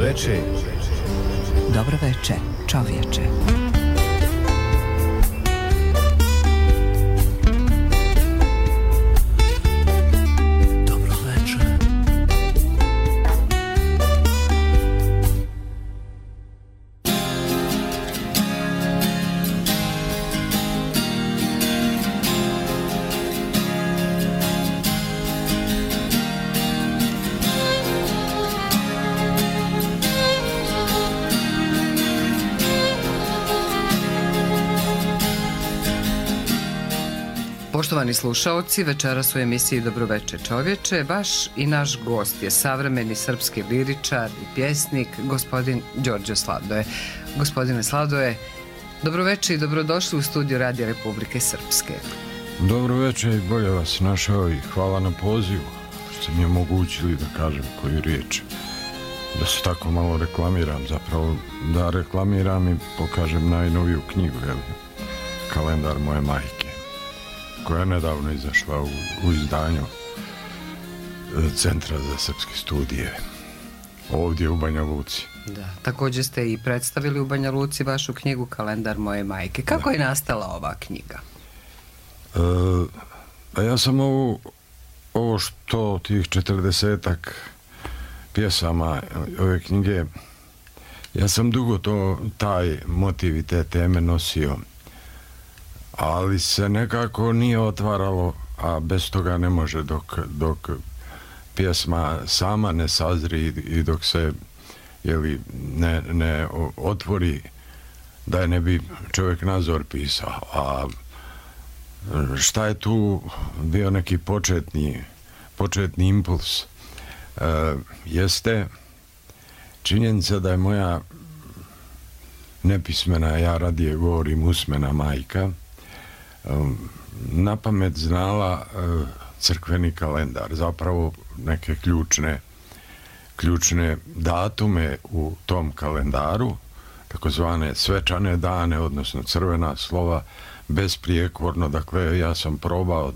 veče. Dobro veče, čovječe. Poštovani slušaoci, večeras u emisiji Dobro veče čovječe, baš i naš gost je savremeni srpski liričar i pjesnik, gospodin Đorđe Sladoje. Gospodine Sladoje, dobro veče i dobrodošli u studiju Radija Republike Srpske. Dobro veče i bolje vas našao i hvala na pozivu što ste mi omogućili da kažem koju riječ. Da se tako malo reklamiram, zapravo da reklamiram i pokažem najnoviju knjigu, Kalendar moje majke, koja je nedavno izašla u izdanju Centra za srpske studije ovdje u Banja Luci. Da, također ste i predstavili u Banja Luci vašu knjigu Kalendar moje majke. Kako je nastala ova knjiga? Ja sam ovo što tih 40-ak pjesama ove knjige, ja sam dugo taj motiv i te teme nosio, ali se nekako nije otvaralo, a bez toga ne može dok pjesma sama ne sazri i dok se ne otvori, da je ne bi čovjek nazor pisao. A šta je tu bio neki početni impuls? Jeste činjenica da je moja nepismena, ja radije govorim usmena majka, na pamet znala crkveni kalendar, zapravo neke ključne datume u tom kalendaru, takozvane svečane dane, odnosno crvena slova, besprijekorno. Dakle, ja sam probao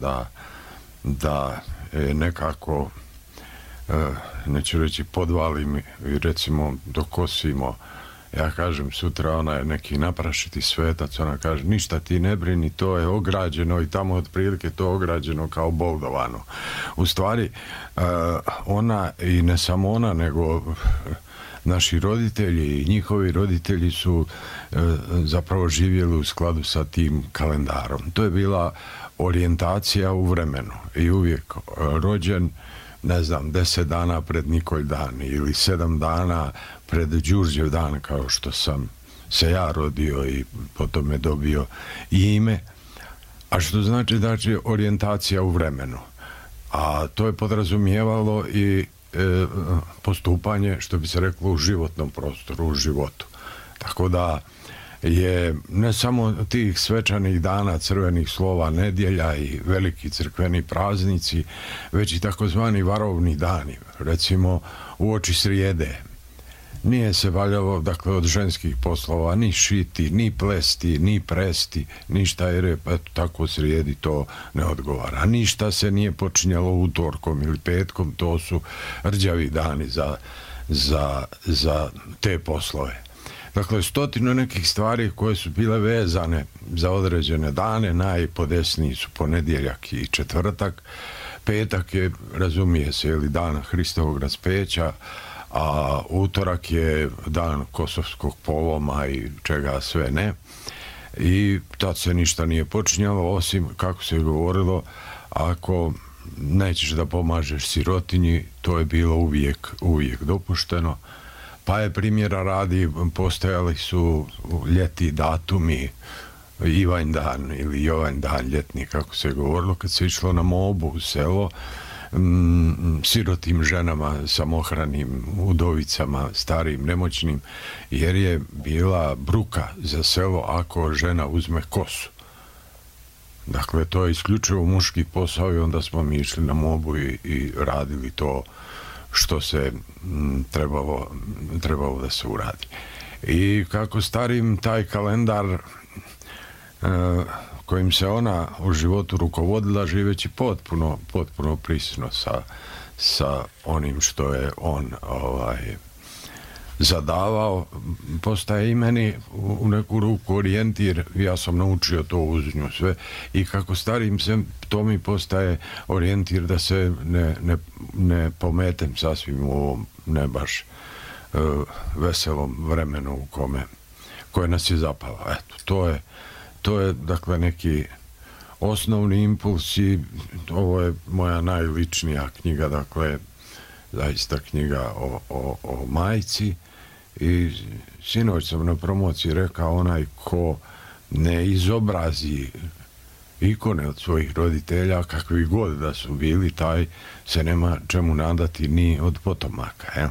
da nekako, neću reći podvalim i recimo dokosimo. Ja kažem, sutra ona je neki naprašiti svetac, ona kaže, ništa ti ne brini, to je ograđeno i tamo otprilike to ograđeno kao boldovano. U stvari, ona, i ne samo ona, nego naši roditelji i njihovi roditelji su zapravo živjeli u skladu sa tim kalendarom. To je bila orijentacija u vremenu i uvijek rođen, ne znam, 10 dana pred Nikolj dan ili 7 dana pred Đurđev dan, kao što sam se ja rodio i potom je dobio ime, a što znači orijentacija u vremenu. A to je podrazumijevalo i postupanje, što bi se reklo, u životnom prostoru, u životu. Tako da je ne samo tih svečanih dana, crvenih slova, nedjelja i veliki crkveni praznici, već i takozvani varovni dani, recimo uoči srijede. Nije se valjalo, dakle, od ženskih poslova ni šiti, ni plesti, ni presti, ništa, jer je tako srijedi to ne odgovara. Ništa se nije počinjalo utorkom ili petkom, to su rđavi dani za te poslove. Dakle, 100 nekih stvari koje su bile vezane za određene dane, najpodesniji su ponedjeljak i četvrtak. Petak je, razumije se, dan Hristovog raspeća, a utorak je dan Kosovskog poloma i čega sve ne. I tad se ništa nije počinjalo, osim, kako se govorilo, ako nećeš da pomažeš sirotinji, to je bilo uvijek dopušteno. Pa je, primjera radi, postojali su ljeti datumi, Ivanj dan ili Jovanj dan ljetni, kako se govorilo, kad se išlo na mobu u selo, sirotim ženama, samohranim, udovicama, starim, nemoćnim, jer je bila bruka za selo ako žena uzme kosu. Dakle, to je isključivo muški posao i onda smo mi išli na mobu i radili to što se trebalo da se uradi. I kako starim taj kalendar kojim se ona u životu rukovodila, živeći potpuno prisno sa onim što je on zadavao, postaje i meni u neku ruku orijentir. Ja sam naučio to uz nju sve i kako starim se, to mi postaje orijentir da se ne pometem sasvim u ovom ne baš veselom vremenu koje nas je zapalo. Eto, to je dakle neki osnovni impuls i ovo je moja najličnija knjiga, dakle zaista knjiga o majci i sinoć sam na promociji rekao, onaj ko ne izobrazi ikone od svojih roditelja, kakvi god da su bili, taj se nema čemu nadati ni od potomaka. Jel?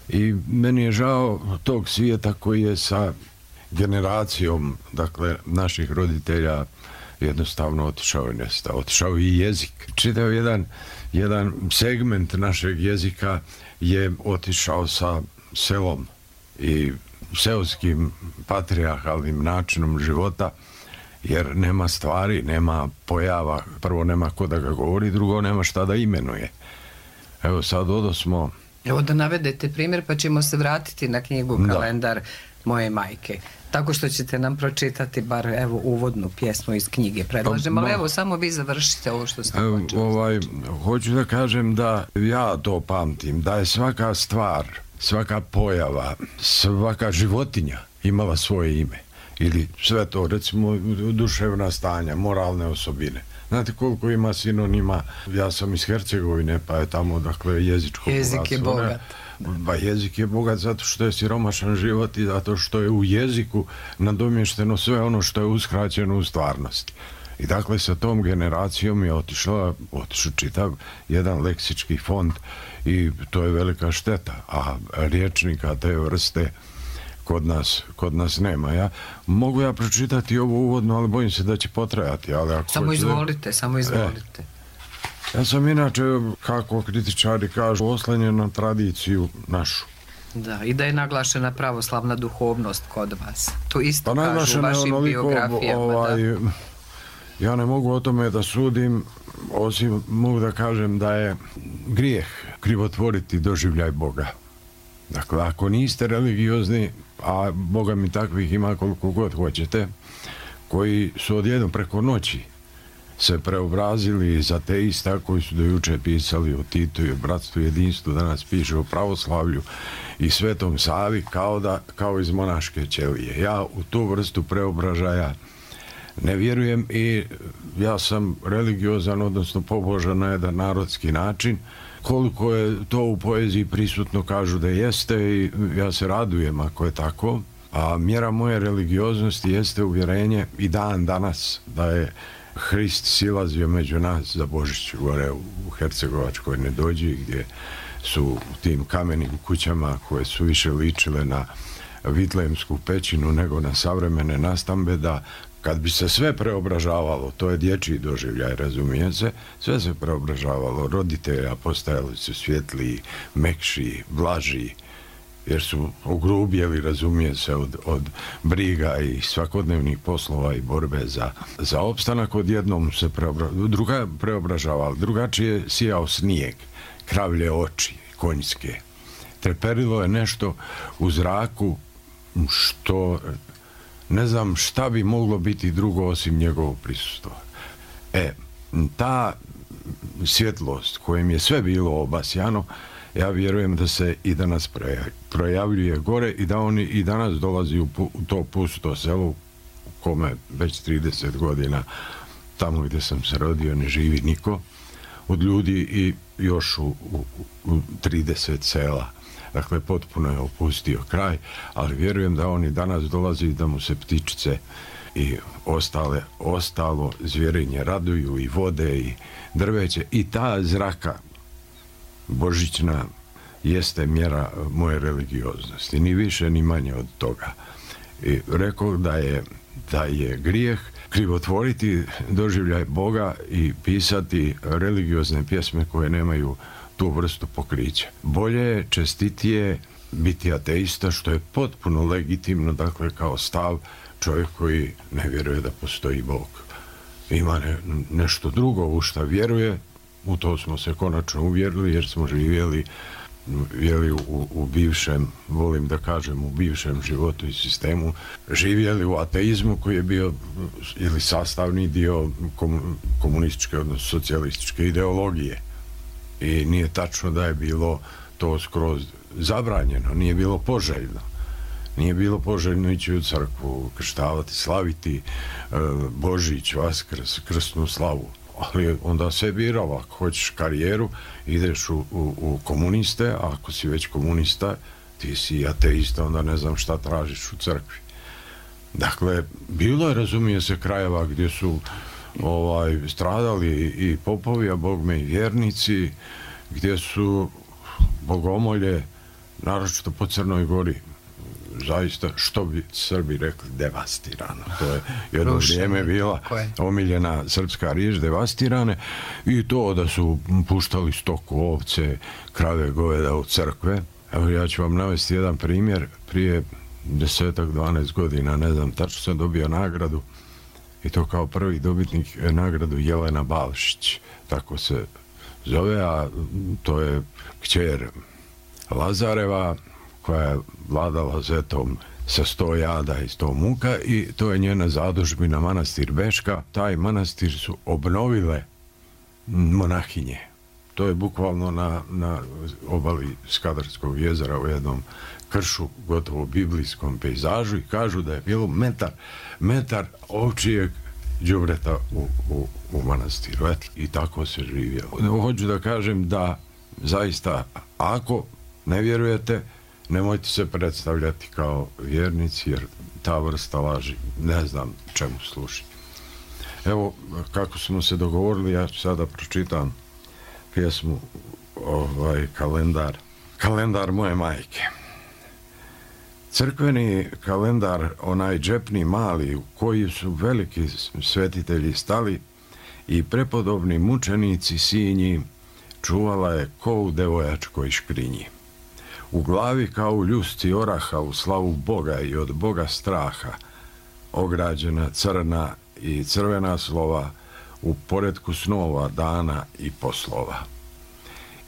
I meni je žao tog svijeta koji je sa generacijom, dakle, naših roditelja jednostavno otišao i nestao. Otišao i jezik. Čitav jedan segment našeg jezika je otišao sa selom i seoskim patrijarhalnim načinom života, jer nema stvari, nema pojava, prvo nema ko da ga govori, drugo nema šta da imenuje. Evo sad odosmo... Evo da navedete primjer pa ćemo se vratiti na knjigu Kalendar moje majke. Tako što ćete nam pročitati bar evo uvodnu pjesmu iz knjige, predlažem, ali evo samo vi završite ovo što ste počeli. Hoću da kažem da ja to pamtim, da je svaka stvar, svaka pojava, svaka životinja imala svoje ime. Ili sve to, recimo duševna stanja, moralne osobine. Znate koliko ima sinonima? Ja sam iz Hercegovine, pa je tamo, dakle, jezičko bogatstvo. Jezik je bogat. Pa jezik je bogat zato što je siromašan život i zato što je u jeziku nadomješteno sve ono što je uskraćeno u stvarnosti. I dakle, sa tom generacijom je otišao čitav jedan leksički fond i to je velika šteta. A riječnika te vrste kod nas nema. Mogu ja pročitati ovo uvodno, ali bojim se da će potrajati. Samo izvolite. Ja sam inače, kako kritičari kažu, oslanjen na tradiciju našu. Da, i da je naglašena pravoslavna duhovnost kod vas. To isto kažu u vašim biografijama. Ja ne mogu o tome da sudim, osim mogu da kažem da je grijeh krivotvoriti doživljaj Boga. Dakle, ako niste religiozni, a Boga mi takvih ima koliko god hoćete, koji su odjednom preko noći se preobrazili iz ateista koji su do juče pisali o Titu i o bratstvu i jedinstvu, danas piše o pravoslavlju i Svetom Savi kao iz monaške ćelije. Ja u tu vrstu preobražaja ne vjerujem i ja sam religiozan, odnosno pobožan na jedan narodski način. Koliko je to u poeziji prisutno, kažu da jeste i ja se radujem ako je tako. A mjera moje religioznosti jeste uvjerenje i dan danas da je Hrist silazio među nas za Božić gore u Hercegovačkoj Nedođi, gdje su u tim kamenim kućama koje su više ličile na Vitlejemsku pećinu nego na savremene nastambe, da kad bi se sve preobražavalo, to je dječji doživljaj, razumije se, sve se preobražavalo, roditelja postajali su svjetliji, mekši, blaži, jer su ogrubjeli, razumije se, od briga i svakodnevnih poslova i borbe za opstanak. Odjednom se preobražavalo, drugačije sijao snijeg, kravlje oči, konjske. Treperilo je nešto u zraku što ne znam šta bi moglo biti drugo osim njegovog prisustva. Ta svjetlost kojim je sve bilo obasjano, ja vjerujem da se i danas projavljuje gore i da oni i danas dolazi u to pusto selo u kome već 30 godina tamo gdje sam se rodio ne živi niko od ljudi i još u 30 sela. Dakle, potpuno je opustio kraj, ali vjerujem da oni danas dolazi da mu se ptičice i ostalo zvjerinje raduju i vode i drveće i ta zraka božićna jeste mjera moje religioznosti, ni više ni manje od toga. I rekao da je grijeh krivotvoriti doživljaj Boga i pisati religiozne pjesme koje nemaju tu vrstu pokrića. Bolje je, čestitije biti ateista, što je potpuno legitimno, dakle, kao stav čovjek koji ne vjeruje da postoji Bog. Ima nešto drugo u šta vjeruje, u to smo se konačno uvjerili jer smo živjeli u bivšem, volim da kažem, u bivšem životu i sistemu živjeli u ateizmu koji je bio ili sastavni dio komunističke, odnosno socijalističke ideologije. I nije tačno da je bilo to skroz zabranjeno, nije bilo poželjno. Nije bilo poželjno ići u crkvu, krštavati, slaviti Božić, Vaskrs, krsnu slavu. Ali onda se biralo, ako hoćeš karijeru, ideš u komuniste, a ako si već komunista, ti si ateista, onda ne znam šta tražiš u crkvi. Dakle, bilo je, razumije se, krajeva gdje su stradali i popovi, a bogme i vjernici, gdje su bogomolje, naročito po Crnoj Gori, zaista, što bi Srbi rekli, devastirano. To je jedno vrijeme bila omiljena srpska riječ, devastirane, i to da su puštali stoku, ovce, krave, goveda u crkve. Evo, ja ću vam navesti jedan primjer. Prije 10-12 godina, ne znam, tačno sam dobio nagradu, i to kao prvi dobitnik nagradu Jelena Balšić, tako se zove, a to je kćer Lazareva, koja je vladala Zetom sa 100 jada i 100 muka, i to je njena zadužbina manastir Beška. Taj manastir su obnovile monahinje. To je bukvalno na obali Skadarskog jezera u jednom kršu, gotovo biblijskom pejzažu, i kažu da je bilo metar ovčijeg đubreta u manastiru. I tako se živjelo. Hoću da kažem da zaista, ako ne vjerujete, nemojte se predstavljati kao vjernici, jer ta vrsta laži ne znam čemu služi. Evo, kako smo se dogovorili, ja ću sada pročitam pjesmu Kalendar moje majke. Crkveni kalendar, onaj džepni mali, u koji su veliki svetitelji stali i prepodobni mučenici sinji, čuvala je ko u devojačkoj škrinji. U glavi kao u ljusci oraha, u slavu Boga i od Boga straha, ograđena crna i crvena slova, u poretku snova, dana i poslova.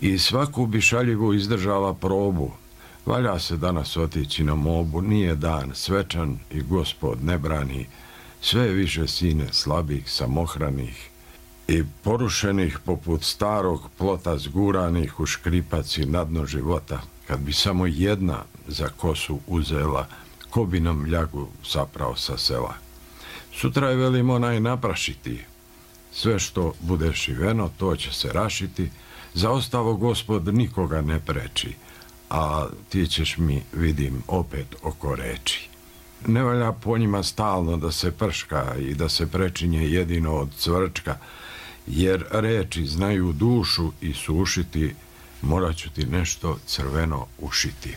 I svaku bi šaljivu izdržala probu, valja se danas otići na mobu, nije dan svečan i Gospod ne brani, sve više sine slabih, samohranih i porušenih poput starog plota zguranih u škripac i na dno života. Kad bi samo jedna za kosu uzela, ko bi nam ljagu zapravo sa sela. Sutra je, velim, onaj naprašiti, sve što bude šiveno, to će se rašiti, za ostalo Gospod nikoga ne preči, a ti ćeš mi, vidim, opet oko reči. Ne valja po njima stalno da se prška i da se prečinje jedino od cvrčka, jer reči znaju dušu i sušiti, morat ću ti nešto crveno ušiti.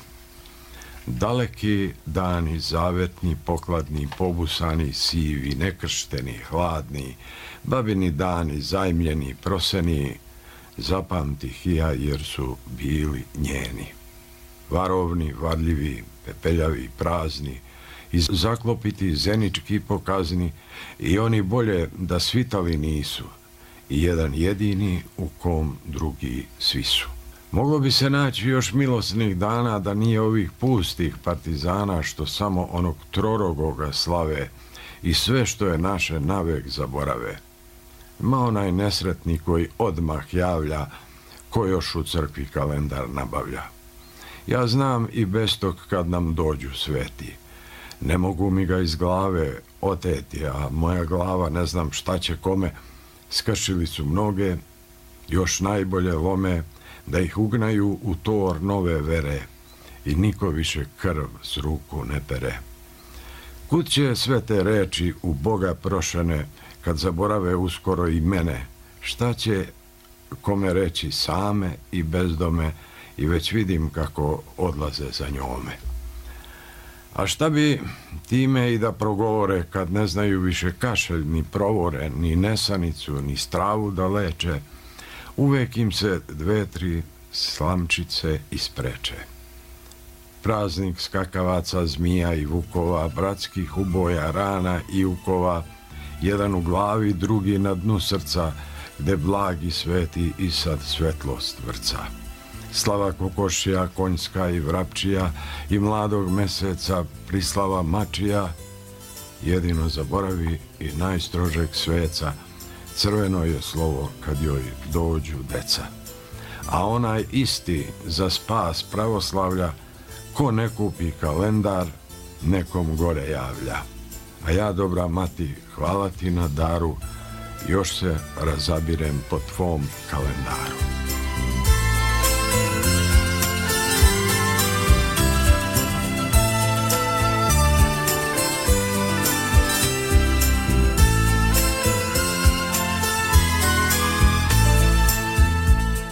Daleki dani, zavetni, pokladni, pobusani, sivi, nekršteni, hladni, babini dani, zajmljeni, proseni, zapamtih ja jer su bili njeni. Varovni, varljivi, pepeljavi, prazni, i zaklopiti zenički pokazni, i oni bolje da svitali nisu, i jedan jedini u kom drugi svi su. Moglo bi se naći još milosnih dana da nije ovih pustih partizana što samo onog trorogoga slave i sve što je naše navek zaborave. Ma onaj nesretni koji odmah javlja ko još u crkvi kalendar nabavlja. Ja znam i bez tog kad nam dođu sveti. Ne mogu mi ga iz glave oteti, a moja glava ne znam šta će kome. Skršili su mnoge, još najbolje lome, da ih ugnaju u tor nove vere i niko više krv s ruku ne pere. Kud će sve te reči u Boga prošene kad zaborave uskoro i mene? Šta će kome reći same i bezdome, i već vidim kako odlaze za njome. A šta bi time i da progovore kad ne znaju više kašelj ni provore, ni nesanicu, ni stravu da leče, uvek im se 2-3 slamčice ispreče. Praznik skakavaca, zmija i vukova, bratskih uboja, rana i ukova, jedan u glavi, drugi na dnu srca, gde blagi sveti i sad svetlost vrca. slava kokošija, konjska i vrapčija, i mladog meseca prislava mačija, jedino zaboravi i najstrožeg sveca, crveno je slovo kad joj dođu deca. A onaj isti za spas pravoslavlja, ko ne kupi kalendar, nekom gore javlja. A ja, dobra mati, hvala ti na daru, još se razabirem po tvom kalendaru.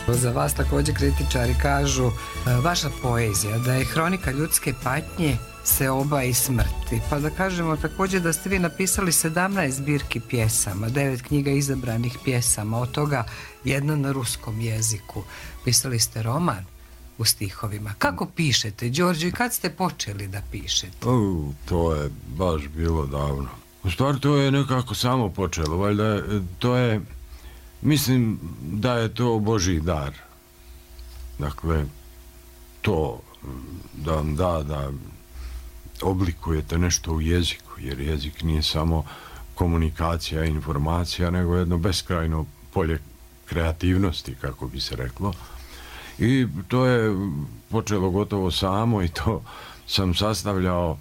Za vas također kritičari kažu vaša poezija da je hronika ljudske patnje, seoba i smrti. Pa da kažemo također da ste vi napisali 17 zbirki pjesama, 9 knjiga izabranih pjesama, od toga jedna na ruskom jeziku. Pisali ste roman u stihovima. Kako pišete, Đorđe, i kad ste počeli da pišete? To je baš bilo davno. U stvari to je nekako samo počelo, valjda to je, mislim da je to Božji dar. Dakle, to da vam da oblikujete nešto u jeziku, jer jezik nije samo komunikacija i informacija, nego jedno beskrajno polje kreativnosti, kako bi se reklo. I to je počelo gotovo samo i to sam sastavljao,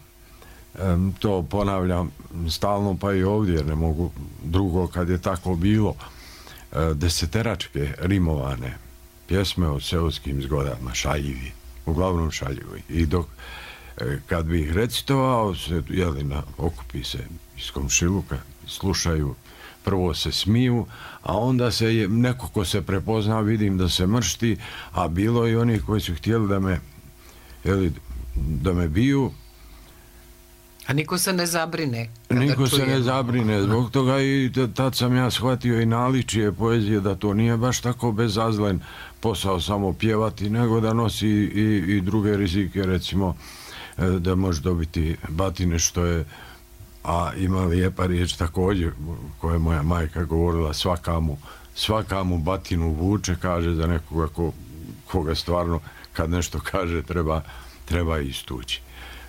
to ponavljam stalno pa i ovdje, jer ne mogu drugo kad je tako bilo, deseteračke rimovane pjesme o seoskim zgodama, šaljivi, uglavnom šaljivi. I dok kad bi ih recitovao, okupi se iz komšiluka, slušaju, prvo se smiju, a onda se neko ko se prepozna, vidim da se mršti, a bilo i onih koji su htjeli da me biju. A niko se ne zabrine. Niko se ne zabrine, zbog toga i tad sam ja shvatio i naličije poezije da to nije baš tako bezazlen posao samo pjevati, nego da nosi i druge rizike, recimo da može dobiti batine, što je, a ima lijepa riječ također koja je moja majka govorila, svaka mu batinu vuče, kaže za nekoga koga stvarno kad nešto kaže treba istući.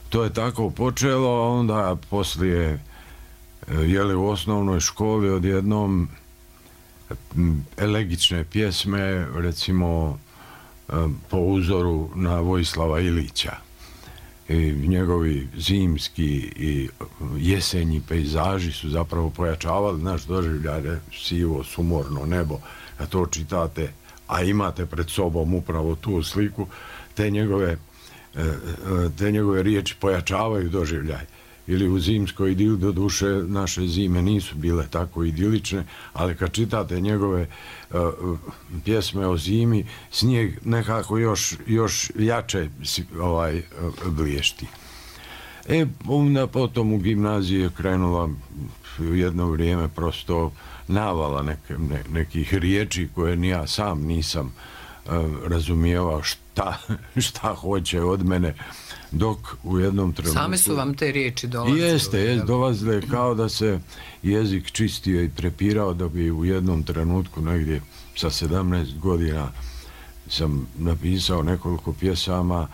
To je tako počelo, a onda poslije u osnovnoj školi odjednom elegične pjesme, recimo po uzoru na Vojislava Ilića. I njegovi zimski i jesenji pejzaži su zapravo pojačavali naš doživljaj, sivo, sumorno nebo. Kad to čitate, a imate pred sobom upravo tu sliku, te njegove riječi pojačavaju doživljaj. Ili u zimskoj idili, do duše naše zime nisu bile tako idilične, ali kad čitate njegove pjesme o zimi, snijeg nekako još jače bliješti. Onda potom u gimnaziji je krenula jedno vrijeme prosto navala nekih riječi koje ni ja sam nisam razumijevao šta hoće od mene, dok u jednom trenutku... Same su vam te riječi dolazile? Jeste, dolazile kao da se jezik čistio i prepirao, da bi u jednom trenutku, negdje sa 17 godina, sam napisao nekoliko pjesama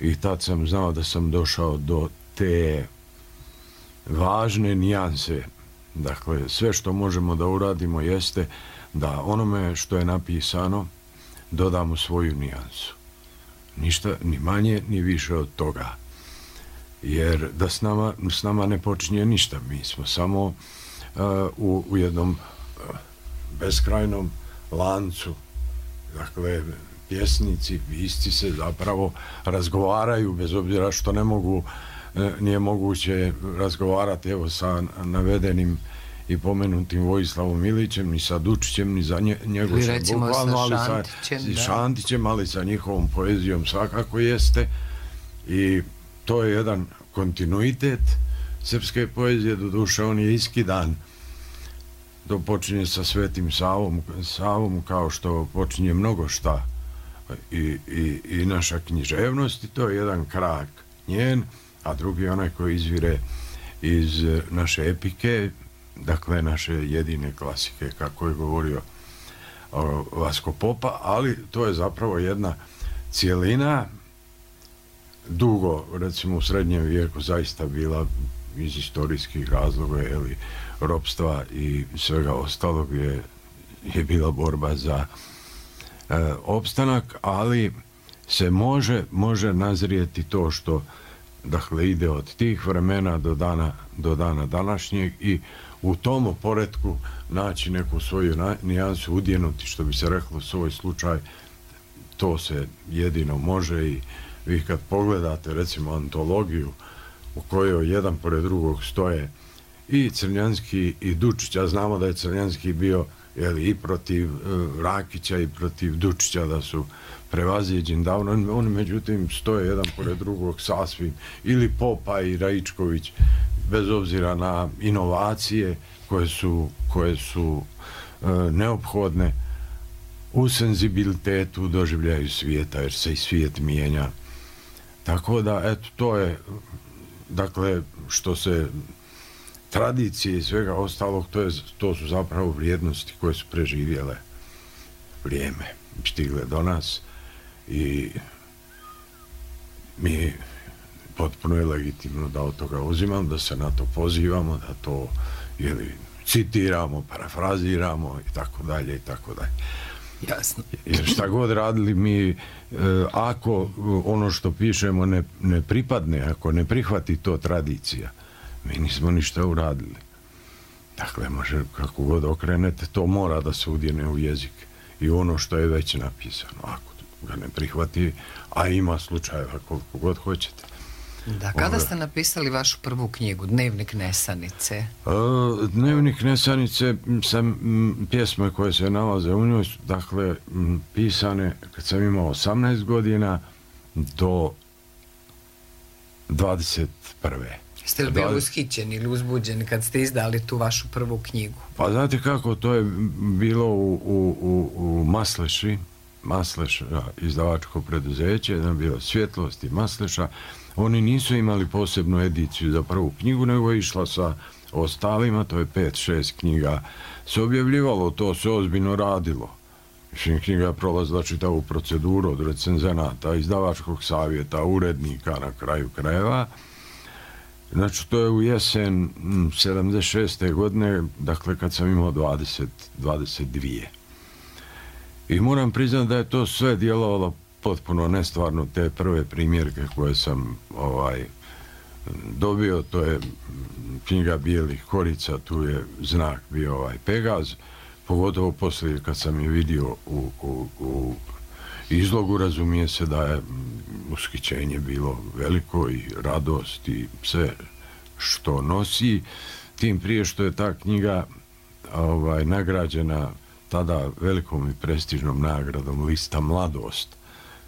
i tad sam znao da sam došao do te važne nijanse. Dakle, sve što možemo da uradimo jeste da onome što je napisano dodamo svoju nijansu. Ništa, ni manje, ni više od toga. Jer da s nama ne počinje ništa. Mi smo samo u jednom beskrajnom lancu. Dakle, pjesnici, pisci se zapravo razgovaraju, bez obzira što nije moguće razgovarati sa navedenim i pomenutim Vojislavom Ilićem, ni sa Dučićem, ni za Njegošem, bukvalno, ali sa Šantićem, ali sa njihovom poezijom svakako jeste. I to je jedan kontinuitet srpske poezije, doduše on je iskidan. To počinje sa Svetim Savom, kao što počinje mnogo šta i naša književnost, i to je jedan krak njen, a drugi je onaj koji izvire iz naše epike, dakle naše jedine klasike, kako je govorio Vasko Popa, ali to je zapravo jedna cijelina dugo, recimo u srednjem vijeku zaista bila iz historijskih razloga, ropstva i svega ostalog je bila borba za opstanak, ali se može nazrijeti to što dakle ide od tih vremena do dana današnjeg i u tom poretku naći neku svoju nijansu, udjenuti, što bi se reklo, svoj slučaj. To se jedino može i vi kad pogledate recimo antologiju u kojoj jedan pored drugog stoje i Crnjanski i Dučić, a znamo da je Crnjanski bio i protiv Rakića i protiv Dučića, da su prevaziđeni davno, oni međutim stoje jedan pored drugog sasvim, ili Popa i Raičković, bez obzira na inovacije koje su neophodne u senzibilitetu doživljaju svijeta, jer se i svijet mijenja. Tako da, eto, to je, dakle, što se tradicije i svega ostalog, to su zapravo vrijednosti koje su preživjele vrijeme, stigle do nas i mi potpuno je legitimno da od toga uzimamo, da se na to pozivamo, da to citiramo, parafraziramo i tako dalje i tako dalje. Jasno. Jer šta god radili mi, ako ono što pišemo ne pripadne, ako ne prihvati to tradicija, mi nismo ništa uradili. Dakle, može kako god okrenete, to mora da se udjene u jezik i ono što je već napisano. Ako ga ne prihvati, a ima slučajeva koliko god hoćete. Da, kada ste napisali vašu prvu knjigu, Dnevnik Nesanice? Dnevnik Nesanice sam pjesme koje se nalaze u njoj, dakle, pisane kad sam imao 18 godina do 21. Ste li bili ushićeni ili uzbuđeni kad ste izdali tu vašu prvu knjigu? Pa znate kako, to je bilo u Masleši, Masleš izdavačko preduzeće, jedna bila Svjetlost i Masleša. Oni nisu imali posebnu ediciju za prvu knjigu, nego je išla sa ostalima, to je 5-6 knjiga se objavljivalo, to se ozbiljno radilo. Knjiga je prolazila čitavu proceduru od recenzenata, izdavačkog savjeta, urednika na kraju krajeva. Znači, to je u jesen 76. godine, dakle kad sam imao 22. I moram priznati da je to sve djelovalo potpuno nestvarno, te prve primjerke koje sam dobio, to je knjiga Bijelih korica, tu je znak bio Pegaz, pogotovo poslije kad sam je vidio u izlogu, razumije se da je ushićenje bilo veliko i radost i sve što nosi, tim prije što je ta knjiga nagrađena tada velikom i prestižnom nagradom Lista Mladost.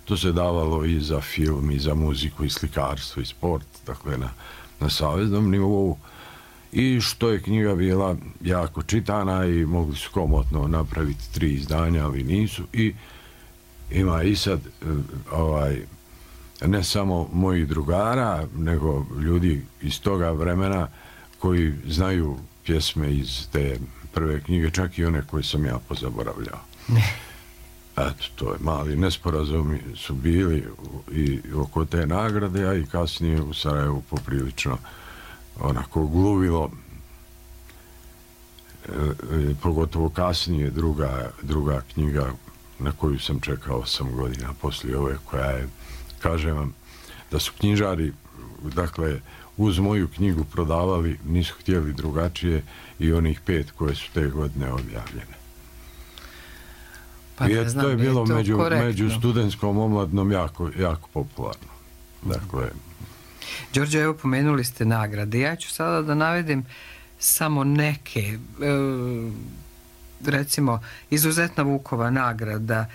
To se davalo i za film, i za muziku, i slikarstvo, i sport, dakle na saveznom nivou. I što je knjiga bila jako čitana i mogli su komotno napraviti 3 izdanja, ali nisu. I ima i sad ne samo mojih drugara, nego ljudi iz toga vremena koji znaju pjesme iz te prve knjige, čak i one koje sam ja pozaboravljao. Eto, to je mali nesporazumi su bili i oko te nagrade, a i kasnije u Sarajevu poprilično onako gluvilo, pogotovo kasnije druga knjiga na koju sam čekao 8 godina poslije ove, koja je, kažem vam, da su knjižari, dakle, uz moju knjigu prodavali, nisu htjeli drugačije, i onih 5 koje su te godine objavljene. Pa ne znam, to je bilo među studentskom omladnom jako popularno. Dakle, Đorđe, evo pomenuli ste nagrade. Ja ću sada da navedim samo neke, recimo Izuzetna Vukova nagrada,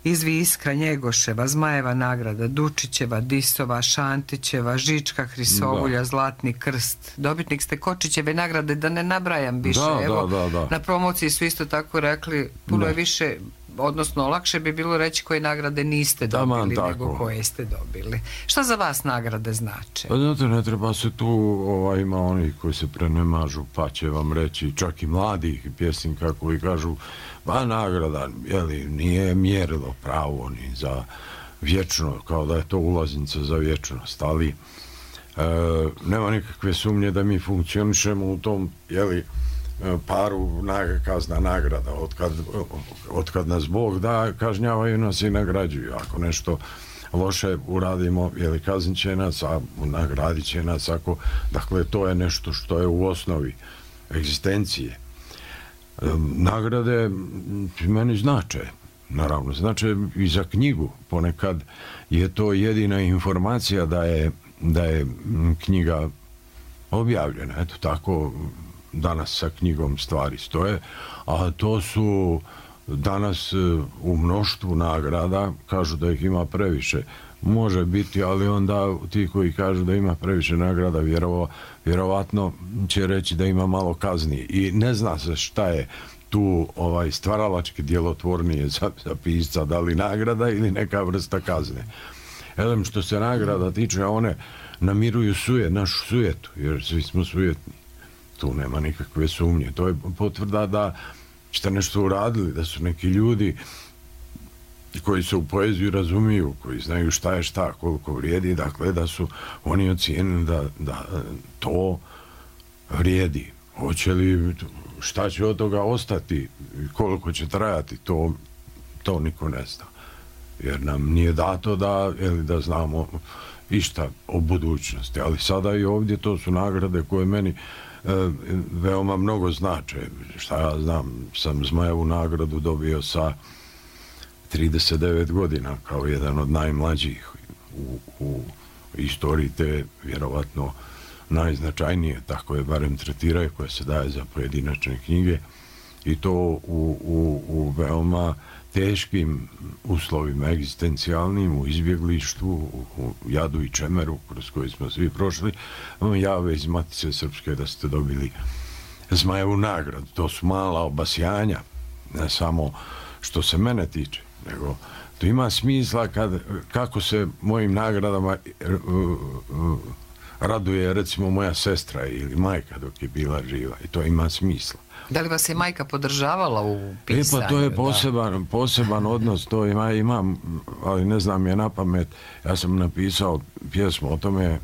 Izvi Iskra Njegoševa, Zmajeva nagrada, Dučićeva, Disova, Šantićeva, Žička Hrisovulja, Zlatni krst. Dobitnik ste Kočićeve nagrade, da ne nabrajam više. Da. Na promociji su isto tako rekli, puno je više, odnosno lakše bi bilo reći koje nagrade niste dobili nego koje ste dobili. Šta za vas nagrade znače? Pa znate, ne treba se tu, ima oni koji se prenemažu, pa će vam reći, čak i mladih pjesnika koji kažu, pa nagrada, nije mjerilo pravo ni za vječno, kao da je to ulaznica za vječnost, ali nema nikakve sumnje da mi funkcionišemo u tom, paru kazna nagrada. Otkad nas Bog da, kažnjavaju nas i nagrađuju. Ako nešto loše uradimo, kaznit će nas, a nagradit će nas. Dakle, to je nešto što je u osnovi egzistencije. Nagrade meni znače, naravno, znače i za knjigu. Ponekad je to jedina informacija da je knjiga objavljena. Eto, tako danas sa knjigom stvari stoje, a to su danas u mnoštvu nagrada, kažu da ih ima previše. Može biti, ali onda ti koji kažu da ima previše nagrada, vjerovatno će reći da ima malo kazni. I ne zna se šta je tu stvaralački djelotvornije za pisca, da li nagrada ili neka vrsta kazne. Što se nagrada tiče, one namiruju našu sujetu, jer svi smo sujetni. Tu nema nikakve sumnje. To je potvrda da ste nešto uradili, da su neki ljudi koji se u poeziju razumiju, koji znaju šta je šta, koliko vrijedi, dakle da su oni ocijenili da to vrijedi. Hoće li, šta će od toga ostati, koliko će trajati, to niko ne zna. Jer nam nije dato da znamo išta o budućnosti. Ali sada i ovdje to su nagrade koje meni veoma mnogo znače. Šta ja znam, sam Zmajevu nagradu dobio sa 39 godina kao jedan od najmlađih u istoriji, te vjerovatno najznačajnije, tako je barem tretiraju, koja se daje za pojedinačne knjige, i to u veoma teškim uslovima egzistencijalnim, u izbjeglištvu, u jadu i čemeru kroz koji smo svi prošli. Jave iz Matice Srpske da ste dobili Zmajevu nagradu. To su mala obasjanja, ne samo što se mene tiče, nego to ima smisla kako se mojim nagradama raduje recimo moja sestra ili majka dok je bila živa, i to ima smisla. Da li vas je majka podržavala u pisanju? Pa to je poseban odnos, to imam, ali ne znam je na pamet. Ja sam napisao pjesmu o tome,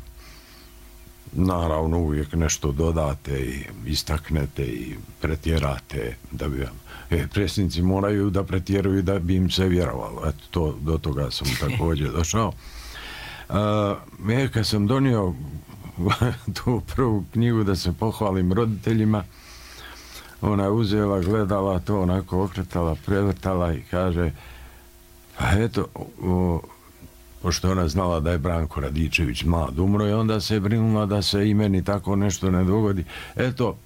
naravno uvijek nešto dodate i istaknete i pretjerate, da bi vam... Presnici moraju da pretjeruju da bi im se vjerovalo. Eto, do toga sam također došao. Kad sam donio tu prvu knjigu da se pohvalim roditeljima, ona je uzela, gledala to, onako okretala, prevrtala i kaže, pa eto, pošto ona znala da je Branko Radičević mlad umro, i onda se je brinula da se i meni tako nešto ne dogodi. Eto,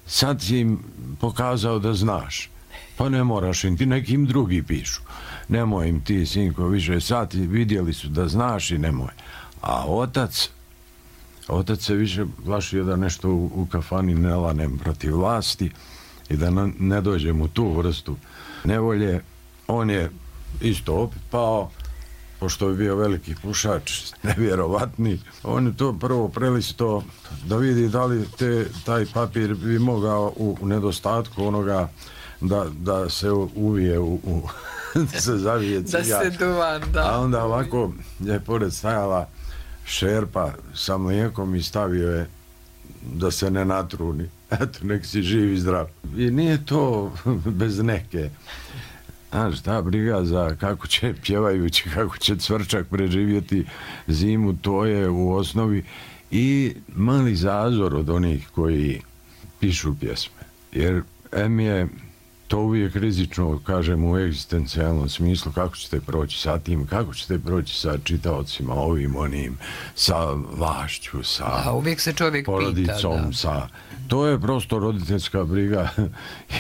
sad si im pokazao da znaš, pa ne moraš im, ti nekim drugi pišu. Nemoj im ti, sinko, više, sad vidjeli su da znaš i nemoj. A otac se više plašio da nešto u kafani ne lanem protiv vlasti i da ne dođem u tu vrstu nevolje. On je isto opet pao, pošto je bio veliki pušač, nevjerovatni. On je to prvo prelisto da vidi da li taj papir bi mogao u nedostatku onoga da se uvije da se zavije cigar. Da se duvan, da. A onda ovako je pored stajala šerpa sa mlijekom i stavio je da se ne natruni. Eto, nek si živ i zdrav. I nije to bez neke. Znaš, ta briga za kako će pjevajući, kako će Cvrčak preživjeti zimu, to je u osnovi i mali zazor od onih koji pišu pjesme. Jer je to uvijek rizično, kažem, u egzistencijalnom smislu, kako ćete proći sa tim, kako ćete proći sa čitaocima, ovim, onim, sa vlašću, sa uvijek se čovjek porodicom, pita, to je prosto roditeljska briga.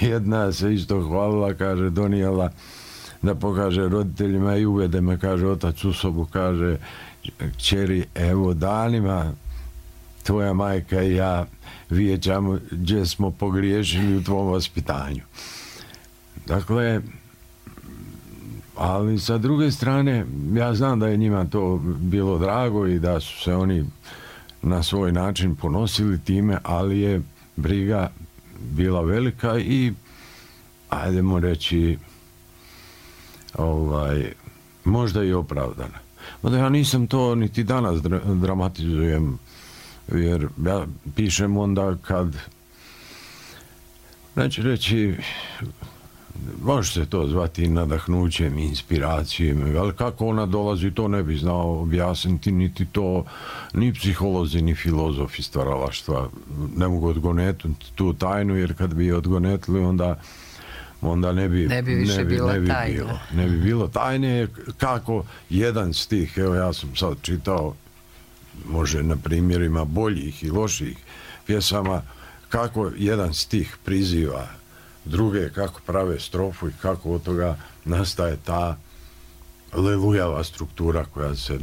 Jedna se isto hvalila, kaže, donijela da pokaže roditeljima i uvede me, kaže, otac u sobu, kaže, kćeri, evo danima tvoja majka i ja vijećamo gdje smo pogriješili u tvom vaspitanju. Dakle, ali sa druge strane, ja znam da je njima to bilo drago i da su se oni na svoj način ponosili time, ali je briga bila velika i, ajdemo reći, možda i opravdana. Mada ja nisam to niti danas dramatizujem, jer ja pišem onda kad, neću reći, može se to zvati nadahnućem, inspiracijom, ali kako ona dolazi, to ne bi znao objasniti, niti to, ni psiholozi, ni filozofi stvaralaštva ne mogu odgonetiti tu tajnu, jer kad bi je odgonetili, onda ne bi bilo tajne. Kako jedan stih, evo ja sam sad čitao, može na primjerima boljih i loših pjesama, kako jedan stih priziva druge, kako prave strofu i kako od toga nastaje ta lelujava struktura koja se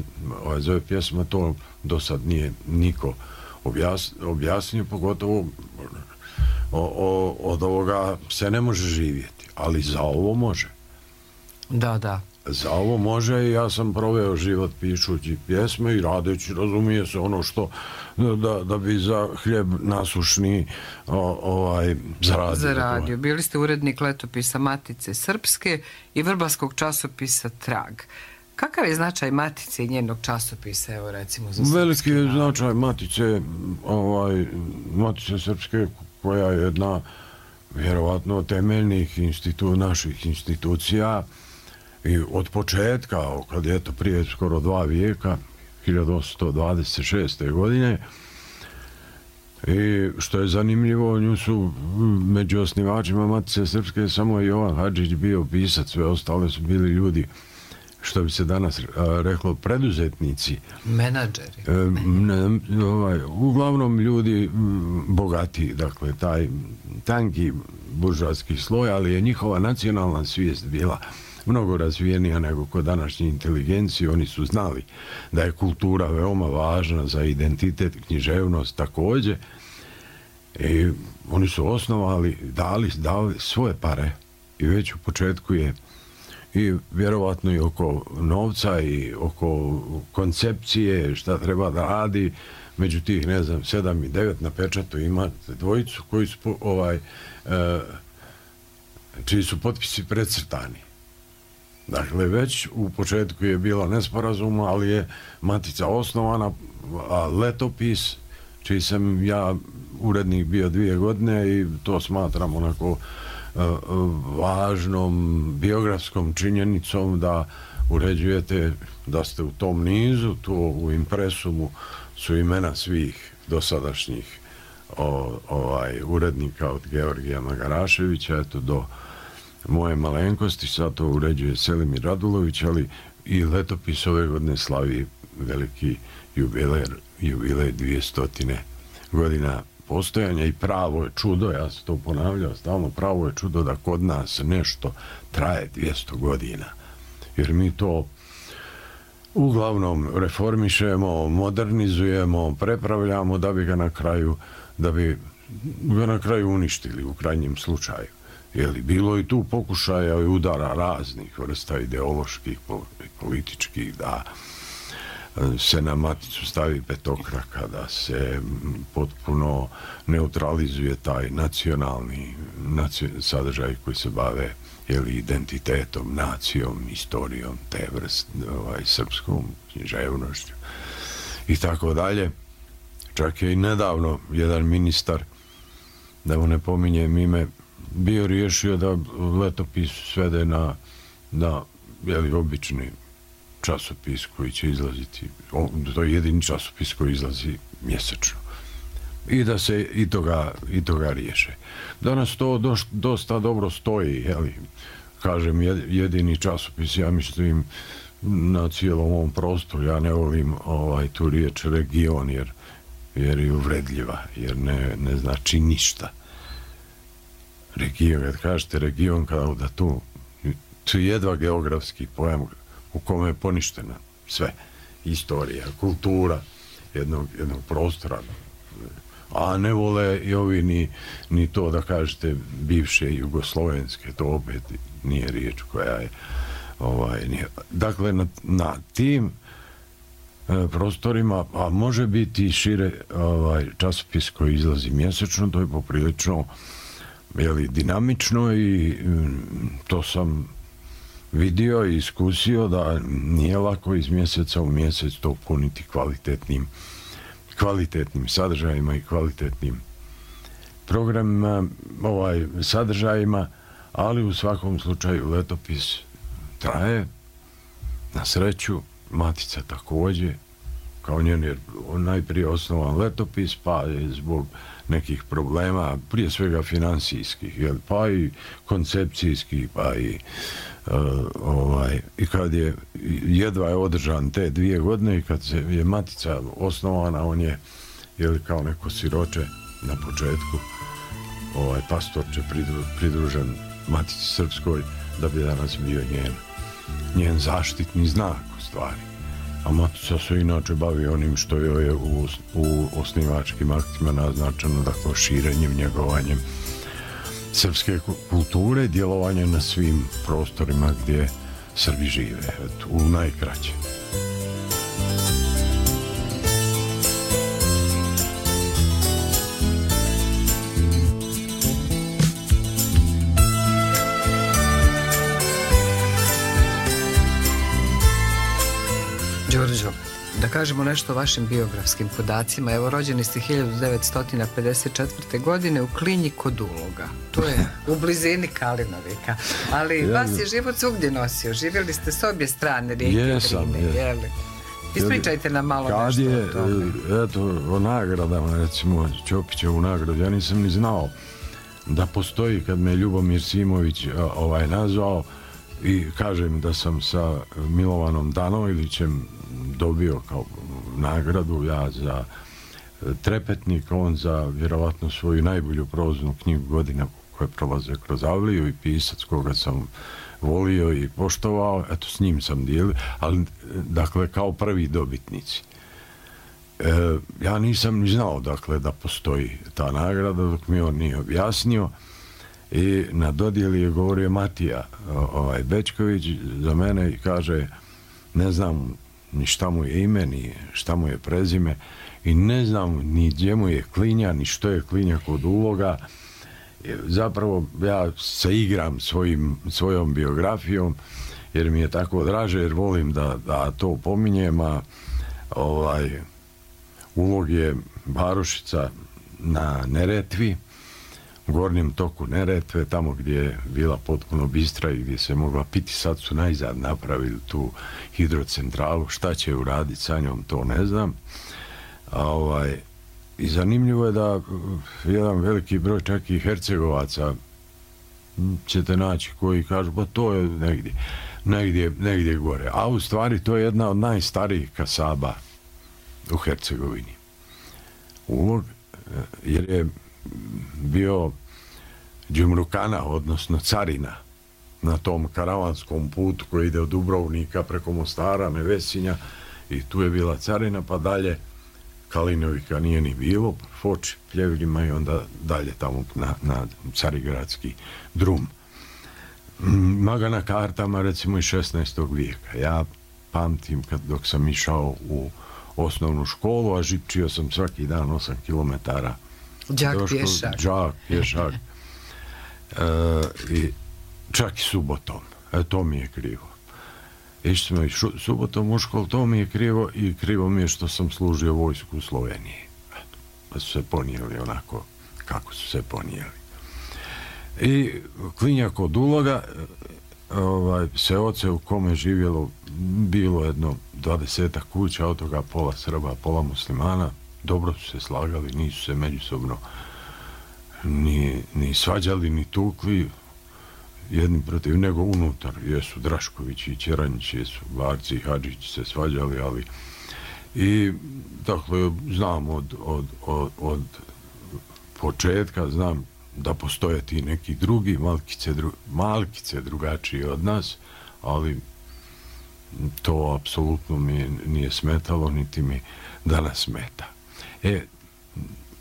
zove pjesma. To do sad nije niko objasnio, pogotovo od ovoga se ne može živjeti, ali za ovo može. Da. Za ovo može i ja sam proveo život pišući pjesme i radeći, razumije se, ono što da bi za hljeb nasušni zaradio. Bili ste urednik letopisa Matice Srpske i vrbarskog časopisa Trag. Kakav je značaj Matice i njenog časopisa, evo recimo za srpski? Veliki je značaj Matice Srpske, koja je jedna vjerovatno temeljnih naših institucija i od početka, kad je to prije skoro 2 vijeka, 1826. godine, i što je zanimljivo, nju su među osnivačima Matice Srpske samo Jovan Hadžić bio pisac, sve ostale su bili ljudi, što bi se danas reklo, preduzetnici. Menadžeri. Uglavnom ljudi bogati, dakle, taj tanki buržoaski sloj, ali je njihova nacionalna svijest bila mnogo razvijenija nego kod današnje inteligencije. Oni su znali da je kultura veoma važna za identitet, književnost također. I oni su osnovali, dali svoje pare i već u početku je i vjerovatno i oko novca i oko koncepcije šta treba da radi. Među tih, 7 i 9 na pečatu imate dvojicu koji su čiji su potpisi precrtani. Dakle, već u početku je bilo nesporazuma, ali je Matica osnovana, a letopis, čiji sam ja urednik bio 2 godine i to smatram onako važnom biografskom činjenicom da uređujete da ste u tom nizu, tu u impresumu su imena svih dosadašnjih urednika od Georgija Magaraševića do moje malenkosti. Sad to uređuje Selimir Radulović, ali i letopis ove godine slavi veliki jubilej 200 godina postojanja i pravo je čudo, ja sam to ponavljao stalno, pravo je čudo da kod nas nešto traje 200 godina. Jer mi to uglavnom reformišemo, modernizujemo, prepravljamo da bi ga na kraju uništili u krajnjem slučaju. Jer bilo i tu pokušaja i udara raznih vrsta ideoloških, političkih, da se na Maticu stavi petokraka, da se potpuno neutralizuje taj nacionalni sadržaj koji se bave identitetom, nacijom, istorijom, te vrste, srpskom književnošću i tako dalje. Čak je i nedavno jedan ministar, da mu ne pominjem ime, bio riješio da letopis svede na obični časopis koji će izlaziti, to je jedini časopis koji izlazi mjesečno. I da se i toga riješe. Danas to dosta dobro stoji, kažem, jedini časopis, ja mislim, na cijelom ovom prostoru. Ja ne volim tu riječ region, jer je uvredljiva, jer ne znači ništa. Region, kad kažete region, kao da tu je jedva geografski pojam u kome je poništena sve. Istorija, kultura jednog prostora. A ne vole i ovi ni to da kažete bivše jugoslovenske, to opet nije riječ koja je dakle na tim prostorima, a može biti šire časopis koji izlazi mjesečno, to je poprilično dinamično i to sam vidio i iskusio da nije lako iz mjeseca u mjesec to puniti kvalitetnim sadržajima i kvalitetnim programima, sadržajima, ali u svakom slučaju letopis traje, na sreću, Matica također, kao njen je najprije osnovan letopis, pa je zbog nekih problema, prije svega financijskih, pa i koncepcijskih, pa i i kad je jedva je održan te 2 godine i kad se je Matica osnovana, on je kao neko siroče na početku, pastorče pridružen Matici Srpskoj, da bi danas bio njen zaštitni znak u stvari. A Matica se inače bavi onim što je u osnivačkim aktima naznačeno, dakle širenjem, njegovanjem srpske kulture, djelovanje na svim prostorima gdje Srbi žive, u najkraće. Đorđo, da kažemo nešto o vašim biografskim podacima. Evo, rođeni ste 1954. godine u Klinji kod Uloga. To je u blizini Kalinovika. Ali vas je život svugdje nosio. Živjeli ste s obje strane rijeke Drine. Ispričajte nam malo nešto o tome. Eto, o nagradama, recimo Ćopićevu nagradu, ja nisam ni znao da postoji, kad me Ljubomir Simović nazvao i kažem da sam sa Milovanom Danojlićem dobio kao nagradu, ja za Trepetnik, on za vjerovatno svoju najbolju proznu knjigu godina koje prolaze kroz Avliju i pisac koga sam volio i poštovao, eto s njim sam dijelio, ali dakle kao prvi dobitnici. Ja nisam ni znao dakle da postoji ta nagrada dok mi on nije objasnio i na dodjeli je govorio Matija Bečković za mene i kaže, ne znam ni šta mu je ime, ni šta mu je prezime i ne znam ni gdje mu je Klinja, ni što je Klinja kod Uloga. Zapravo ja se igram svojom biografijom jer mi je tako draže, jer volim da to pominjem, a Ulog je varošica na Neretvi, u gornjem toku Neretve, tamo gdje je bila potpuno bistra i gdje se mogla piti. Sad su najzad napravili tu hidrocentralu, šta će uraditi sa njom, to ne znam. I zanimljivo je da jedan veliki broj čak i Hercegovaca ćete naći koji kažu, pa to je negdje gore. A u stvari to je jedna od najstarijih kasaba u Hercegovini. Ulog, jer je bio džumrukana, odnosno carina na tom karavanskom putu koji ide od Dubrovnika preko Mostara, Nevesinja, i tu je bila carina, pa dalje Kalinovika nije ni bilo, Foč, Pljevirima i onda dalje tamo na Carigradski drum. Ima ga na kartama recimo iz 16. vijeka. Ja pamtim dok sam išao u osnovnu školu, a žipčio sam svaki dan 8 kilometara. Đak pješak. I čak i subotom. To mi je krivo. Išli smo i subotom u školu, to mi je krivo i krivo mi je što sam služio vojsku u Sloveniji. Pa su se ponijeli onako kako su se ponijeli. I Klinja kod Uloga, seoce u kome živjelo bilo jedno 20 kuća, od toga pola Srba, pola muslimana. Dobro su se slagali, nisu se međusobno ni svađali, ni tukli jedni protiv, nego unutar. Jesu Draškovići i Ćeranjići, jesu Varci i Hadžići se svađali, ali i dakle znam od početka, znam da postoje ti neki drugi, malkice drugačiji od nas, ali to apsolutno mi nije smetalo, niti mi danas smeta.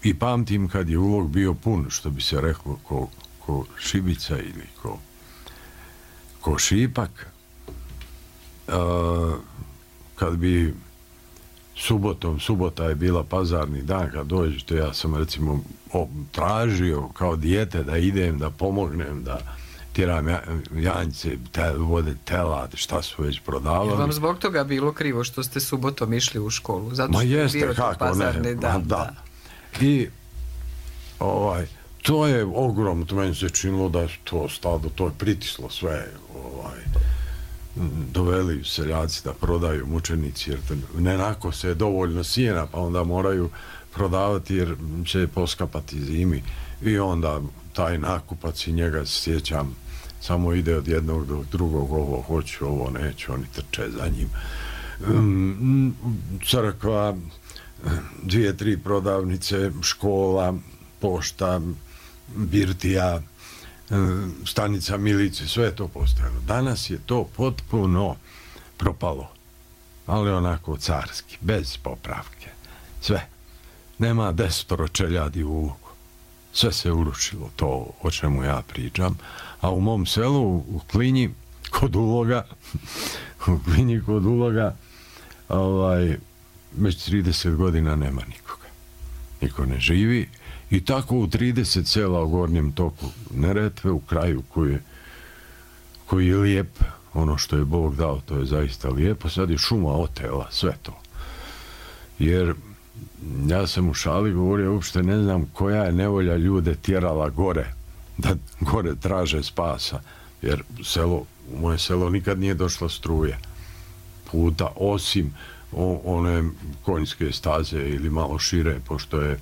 I pamtim kad je Ulog bio pun, što bi se reklo, ko šibica ili ko šipak, kad bi subota je bila pazarni dan, kad dođete, ja sam recimo tražio kao dijete da idem, da pomognem, da tjeram janjce, vode telad, šta su već prodavali. Je vam zbog toga bilo krivo što ste subotom išli u školu? Zato Ma što jeste, bio kako pazarni ne, dan, da. I to je ogromno, to meni se činilo da je to stado, to je pritislo sve, doveli seljaci da prodaju mučenici, jer nenako se je dovoljno sjena, pa onda moraju prodavati jer će poskapati zimi. I onda taj nakupac i njega se sjećam, samo ide od jednog do drugog, ovo hoću, ovo neću, oni trče za njim. Crkva, 2-3 prodavnice, škola, pošta, birtija, stanica milice, sve je to postojalo. Danas je to potpuno propalo, ali onako carski, bez popravke, sve. Nema 10 čeljadi u ulogu. Sve se urušilo, to o čemu ja pričam. A u mom selu, u Klinji, kod Uloga, već 30 godina nema nikoga. Niko ne živi. I tako u 30 sela u gornjem toku Neretve, u kraju koji je lijep, ono što je Bog dao, to je zaista lijepo. Sad je šuma otela, sve to. Jer ja sam u šali govorio, uopšte ne znam koja je nevolja ljude tjerala gore, da gore traže spasa, jer u moje selo nikad nije došla struja puta, osim one konjske staze ili malo šire, pošto je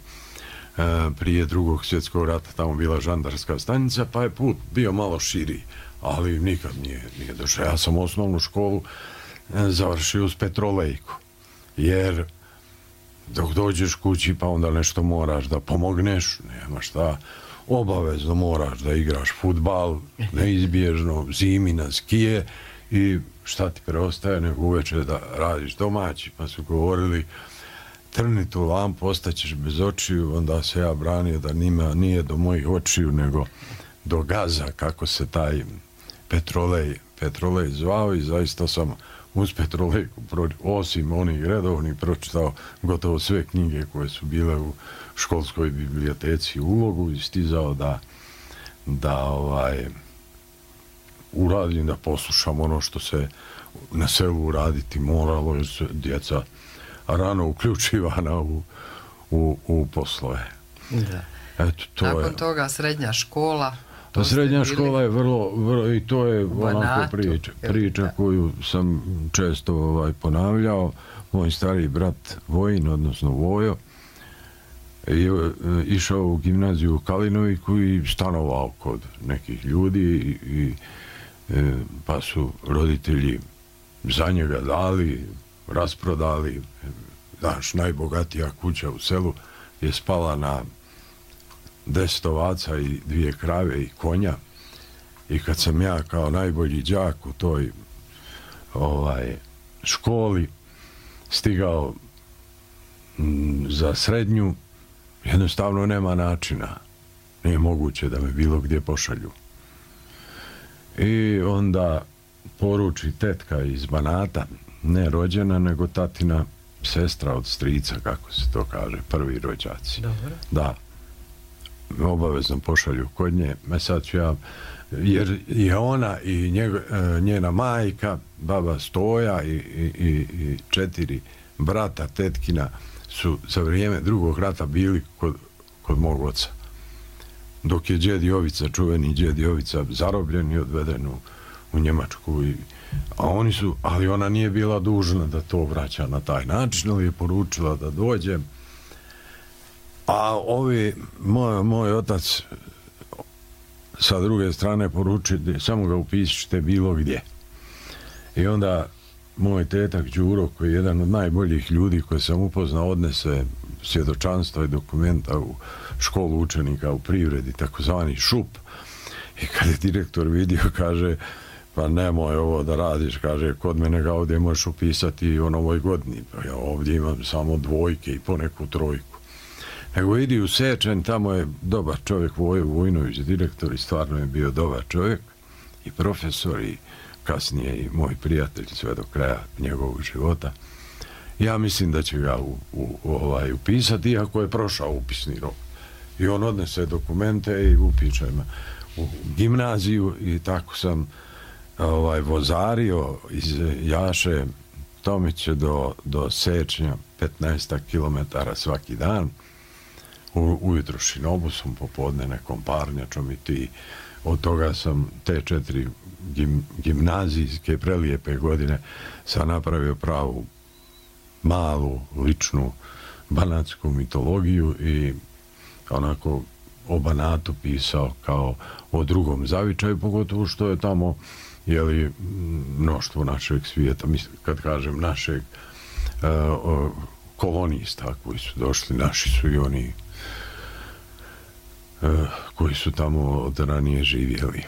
prije Drugog svjetskog rata tamo bila žandarska stanica, pa je put bio malo širi, ali nikad nije došao. Ja sam osnovnu školu završio uz petrolejku, jer dok dođeš kući pa onda nešto moraš da pomogneš, nema šta, obavezno moraš da igraš fudbal, neizbježno, zimi na skije i šta ti preostaje nego uveče da radiš domaći, pa su govorili trni tu lampu, ostaćeš bez očiju, onda se ja branio da nije do mojih očiju nego do gaza, kako se taj petrolej zvao i zaista sam uz petrolejku, osim onih redovnih, pročitao gotovo sve knjige koje su bile u školskoj biblioteci u Ulogu i stizao da uradim, da poslušam ono što se na selu uraditi moralo, jer su djeca rano uključivana u poslove. Da. Eto, nakon toga srednja škola. Pa srednja škola je vrlo i to je onako priča koju sam često ponavljao. Moj stariji brat Vojin, odnosno Vojo, je išao u gimnaziju u Kalinoviku i stanovao kod nekih ljudi pa su roditelji za njega dali, rasprodali. Znaš, najbogatija kuća u selu je spala na 10 ovaca i 2 krave i konja. I kad sam ja kao najbolji đak u toj školi stigao za srednju, jednostavno nema načina. Nije moguće da me bilo gdje pošalju. I onda poruči tetka iz Banata, ne rođena, nego tatina sestra od strica, kako se to kaže, prvi rođaci. Dobro. Da, obavezno pošalju kod nje. Sad ću ja, jer je ona i njena majka, baba Stoja i 4 brata tetkina su za vrijeme Drugog rata bili kod mog oca. Dok je djed Jovica, čuveni djed Jovica, zarobljen i odveden u Njemačku. Ali ona nije bila dužna da to vraća na taj način, ali je poručila da dođe. A moj otac sa druge strane poručuje, samo ga upišite bilo gdje. I onda moj tetak Đuro, koji je jedan od najboljih ljudi koje sam upoznao, odnese svjedočanstva i dokumenta u školu učenika u Privredi, takozvani ŠUP. I kad je direktor vidio, kaže, pa nemoj ovo da radiš, kaže, kod mene ga ovdje možeš upisati o novoj godini. Pa ja ovdje imam samo 2 i poneku 3. Nego idi u Sečanj, tamo je dobar čovjek, Vojo Vojnović, direktor, i stvarno je bio dobar čovjek i profesor i kasnije i moj prijatelj sve do kraja njegovog života. Ja mislim da će ga upisati, iako je prošao upisni rok. I on odnese dokumente i upiše me u gimnaziju i tako sam vozario iz Jaše Tomiće do Sečnja 15 km svaki dan, ujutro šinobusom, popodne nekom parnjačom i ti. Od toga sam te 4 gimnazijske prelijepe godine sam napravio pravu malu, ličnu banatsku mitologiju i onako o Banatu pisao kao o drugom zavičaju, pogotovo što je tamo mnoštvo našeg svijeta, mislim, kad kažem našeg, kolonista koji su došli, naši su i oni koji su tamo od ranije živjeli.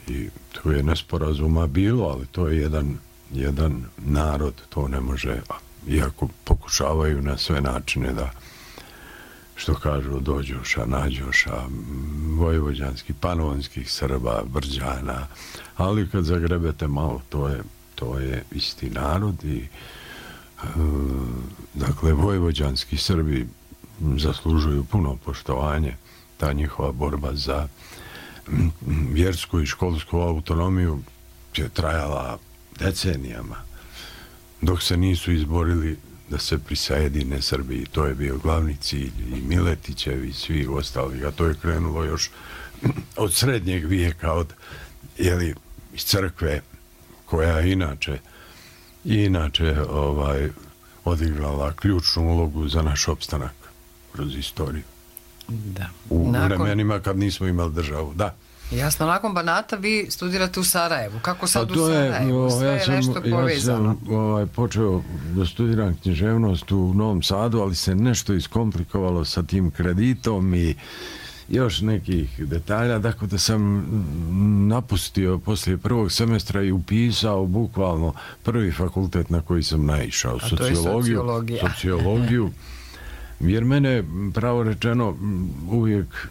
I to je nesporazuma bilo, ali to je jedan narod, to ne može, iako pokušavaju na sve načine da, što kažu, dođoša, nađoša, vojvođanskih, panonskih Srba, Brđana, ali kad zagrebete malo, to je isti narod i dakle, vojvođanski Srbi zaslužuju puno poštovanje. Ta njihova borba za vjersku i školsku autonomiju je trajala decenijama, dok se nisu izborili da se prisajedine Srbiji. To je bio glavni cilj i Miletićevi i svi ostali, a to je krenulo još od srednjeg vijeka, iz crkve, koja inače odigrala ključnu ulogu za naš opstanak kroz istoriju. Da. U vremenima kad nismo imali državu, da. Jasno, nakon Banata vi studirate u Sarajevu. Kako sad u Sarajevu? Sve je nešto povezano. Ja sam počeo da studiram književnost u Novom Sadu, ali se nešto iskomplikovalo sa tim kreditom i još nekih detalja, dakle da sam napustio poslije prvog semestra i upisao bukvalno prvi fakultet na koji sam naišao, sociologiju, jer mene, pravo rečeno, uvijek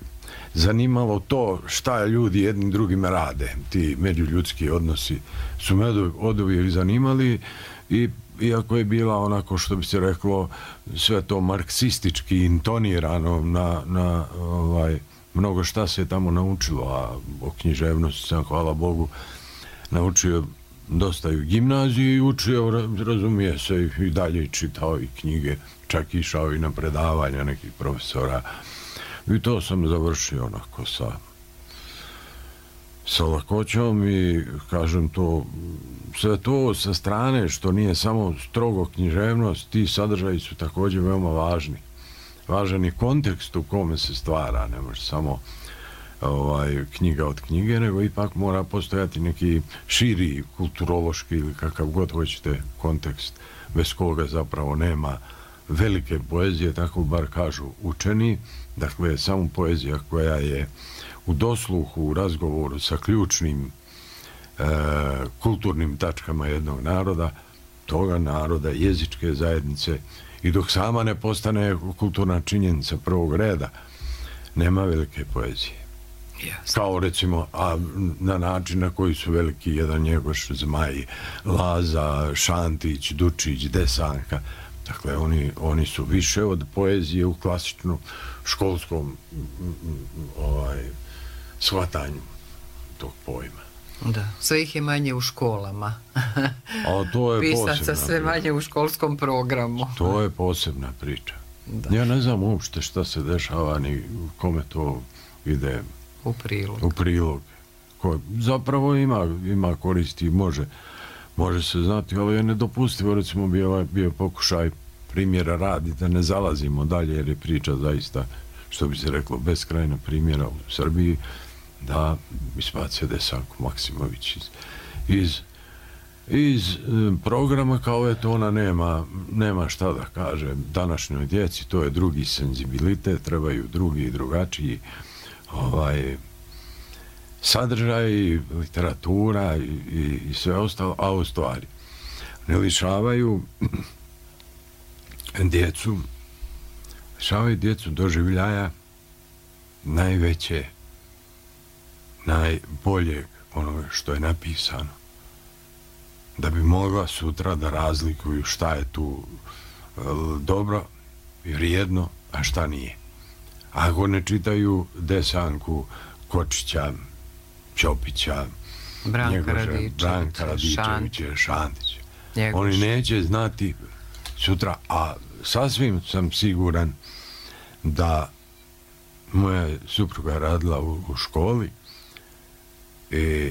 zanimalo to šta ljudi jednim drugim rade. Ti međuljudski odnosi su me oduvijek zanimali i iako je bila onako, što bi se reklo, sve to marksistički intonirano na mnogo šta se je tamo naučilo, a o književnosti sam, hvala Bogu, naučio dosta i u gimnaziji i učio, razumije se, i dalje čitao i knjige, čak išao i na predavanja nekih profesora. I to sam završio onako sa lakoćom i kažem to, sve to sa strane što nije samo strogo književnost, ti sadržaji su također veoma važni. Važan je kontekst u kome se stvara, ne može samo knjiga od knjige, nego ipak mora postojati neki širi kulturološki ili kakav god hoćete kontekst, bez koga zapravo nema velike poezije, tako bar kažu učeni. Dakle, samo poezija koja je u dosluhu, u razgovoru sa ključnim kulturnim tačkama jednog naroda, toga naroda, jezičke zajednice, i dok sama ne postane kulturna činjenica prvog reda, nema velike poezije. Yes. Kao recimo, a na način na koji su veliki jedan Njegoš, Zmaj, Laza, Šantić, Dučić, Desanka. Dakle, oni su više od poezije u klasičnom školskom shvatanju tog pojma. Da, sve ih je manje u školama. A to je pisaca sve manje u školskom programu. To je posebna priča. Da. Ja ne znam uopšte šta se dešava ni kome to ide u prilog. Ko zapravo ima koristi, može se znati, ali je nedopustivo, recimo bio pokušaj primjera radi, da ne zalazimo dalje, jer je priča zaista, što bi se reklo, beskrajna primjera u Srbiji, da ispacio Desanku Maksimović iz programa, kao eto ona nema šta da kaže današnjoj djeci, to je drugi senzibilitet, trebaju drugi i drugačiji sadržaj, literatura i sve ostalo, a u stvari ne lišavaju djecu doživljaja najveće, najboljeg onoga što je napisano, da bi mogla sutra da razlikuju šta je tu dobro i vrijedno, a šta nije. Ako ne čitaju Desanku Kočića, Ćopića, Branka Radičevića, Šantića. Njegoš. Oni neće znati sutra, a sasvim sam siguran da moja supruga radila u školi i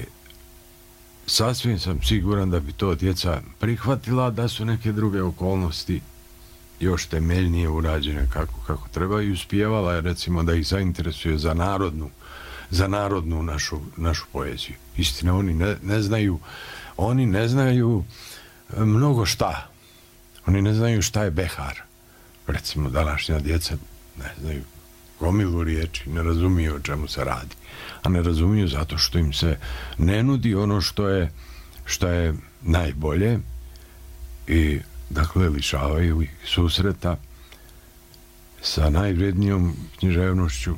sasvim sam siguran da bi to djeca prihvatila, da su neke druge okolnosti još temeljnije urađene kako treba, i uspijevala je, recimo, da ih zainteresuje za narodnu našu poeziju. Istina, oni ne znaju mnogo šta. Oni ne znaju šta je behar. Recimo, današnja djeca ne znaju gomilu riječi, ne razumiju o čemu se radi. A ne razumiju zato što im se ne nudi ono što je najbolje, i dakle lišavaju ih susreta sa najvrednijom književnošću,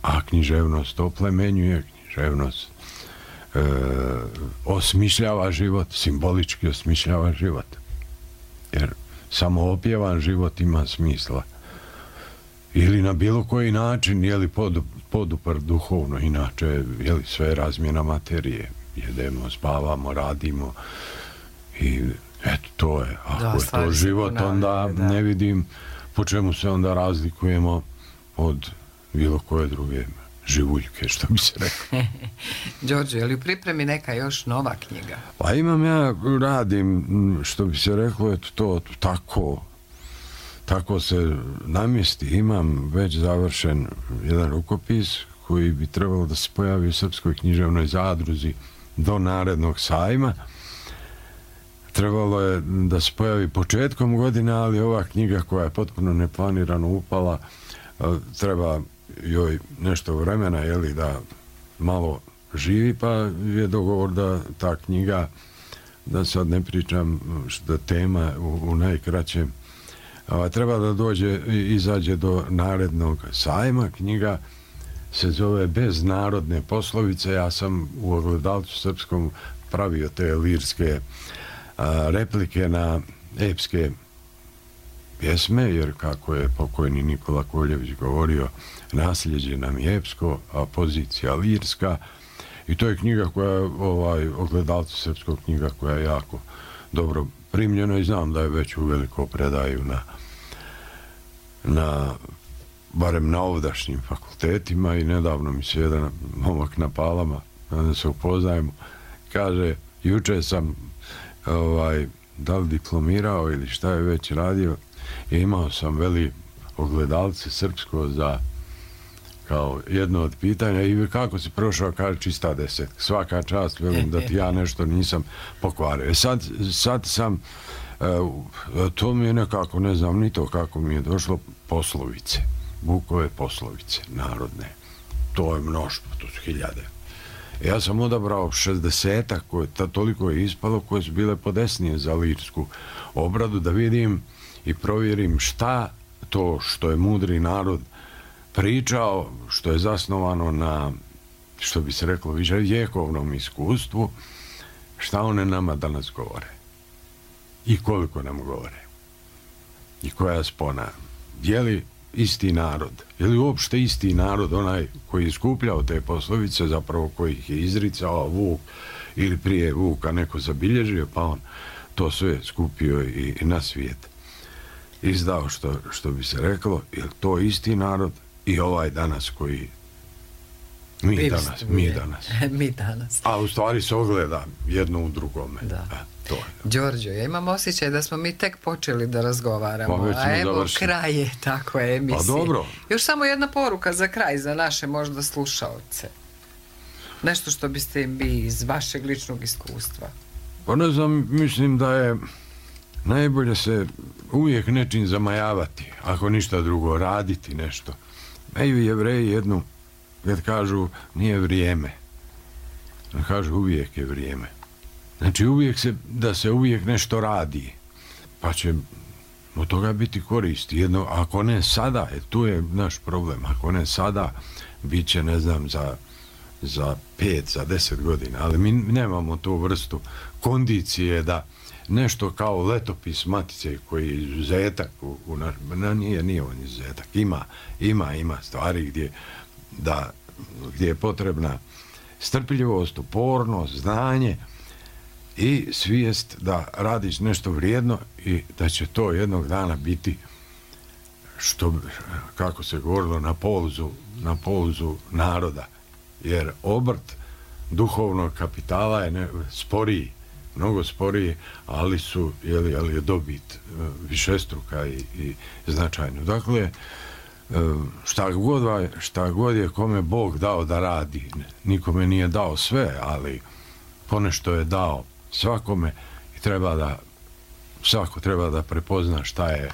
a književnost oplemenjuje, književnost osmišljava život, simbolički osmišljava život. Jer samo opjevan život ima smisla. Ili na bilo koji način, jeli podupr duhovno, inače, jeli sve razmjena materije. Jedemo, spavamo, radimo i eto, to je. Ako je to život, onda ne vidim po čemu se onda razlikujemo od bilo koje druge živuljke, što bi se rekao. Đorđe, je li u pripremi neka još nova knjiga? Pa radim, što bi se reklo, eto to tako se namjesti. Imam već završen jedan rukopis koji bi trebalo da se pojavi u Srpskoj književnoj zadruzi do narednog sajma. Trebalo je da se pojavi početkom godine, ali ova knjiga koja je potpuno neplanirano upala, treba joj nešto vremena, jeli, da malo živi, pa je dogovor da ta knjiga, da sad ne pričam što tema u najkraćem, treba da izađe do narednog sajma. Knjiga se zove Bez narodne poslovice. Ja sam u Ogledalcu srpskom pravio te lirske replike na epske pjesme, jer kako je pokojni Nikola Koljević govorio, nasljeđe nam je epsko, a pozicija lirska, i to je knjiga koja je Ogledalcu srpskog knjiga koja je jako dobro primljena, i znam da je već uveliko predaju barem na ovdašnjim fakultetima, i nedavno mi se jedan momak na Palama, da se upoznajemo, kaže, juče sam da li diplomirao ili šta je već radio, i imao sam, veli, Ogledalce srpsko za kao jedno od pitanja, i kako si prošao, kaže, čista 10. Svaka čast, velim, da ti ja nešto nisam pokvario. Sad sam, to mi je nekako, ne znam ni to kako mi je došlo, poslovice, Bukove poslovice narodne. To je mnoštvo, to su hiljade. Ja sam odabrao 60-ak, toliko je ispalo, koje su bile podesnije za lirsku obradu, da vidim i provjerim šta to što je mudri narod pričao, što je zasnovano na, što bi se reklo, vjekovnom iskustvu, šta one nama danas govore i koliko nam govore i koja spona. Je li isti narod, je li uopšte isti narod onaj koji je skupljao te poslovice, zapravo koji ih je izricao Vuk, ili prije Vuka neko zabilježio, pa on to sve skupio i na svijet izdao, što bi se reklo, je li to isti narod i ovaj danas koji mi danas. A u stvari se ogleda jedno u drugome. Da. Đorđo, ja imam osjećaj da smo mi tek počeli da razgovaramo, a evo kraj je tako emisije. Pa dobro. Još samo jedna poruka za kraj, za naše možda slušaoce. Nešto što biste im vi iz vašeg ličnog iskustva. Pa ne znam, mislim da je najbolje se uvijek nečim zamajavati, ako ništa drugo, raditi nešto. Imaju Jevreji jednu, kad kažu nije vrijeme, kažu uvijek je vrijeme. Znači da se uvijek nešto radi, pa će od toga biti koristi. Jedno, ako ne sada, tu je naš problem, ako ne sada, bit će, ne znam, za 5, za 10 godina, ali mi nemamo tu vrstu kondicije da nešto kao letopis Matice koji je izuzetak nije on izuzetak, ima stvari gdje da gdje je potrebna strpljivost, upornost, znanje i svijest da radiš nešto vrijedno i da će to jednog dana biti, što, kako se govorilo, na polzu naroda. Jer obrt duhovnog kapitala je sporiji, mnogo sporiji, ali je dobit višestruka i značajna. Dakle, šta god je kome Bog dao da radi, nikome nije dao sve, ali ponešto je dao svakome i svako treba da prepozna šta je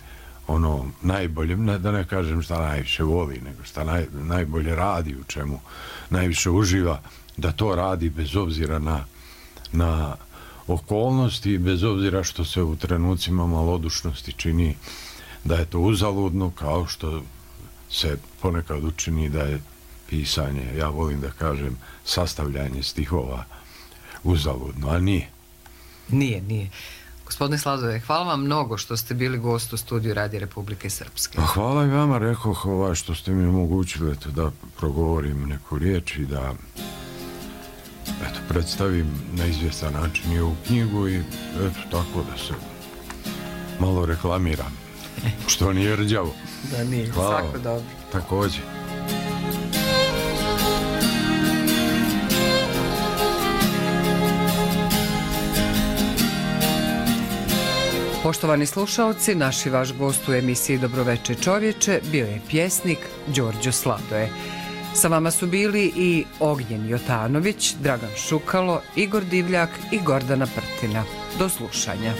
ono najbolje, da ne kažem šta najviše voli, nego šta najbolje radi, u čemu najviše uživa, da to radi bez obzira na okolnosti i bez obzira što se u trenucima malodušnosti čini da je to uzaludno, kao što se ponekad učini da je pisanje, ja volim da kažem, sastavljanje stihova uzaludno, a nije. Nije. Gospodine Sladoje, hvala vam mnogo što ste bili gost u studiju Radija Republike Srpske. Hvala i vama, rekoh, što ste mi omogućili da progovorim neku riječ i da predstavim na izvjestan način i ovu knjigu i tako da se malo reklamiram, što nije rđavo. Da nije, svako dobro. Također. Poštovani slušaoci, naš i vaš gost u emisiji Dobroveče čovječe bio je pjesnik Đorđo Sladoje. Sa vama su bili i Ognjen Jotanović, Dragan Šukalo, Igor Divljak i Gordana Prtina. Do slušanja.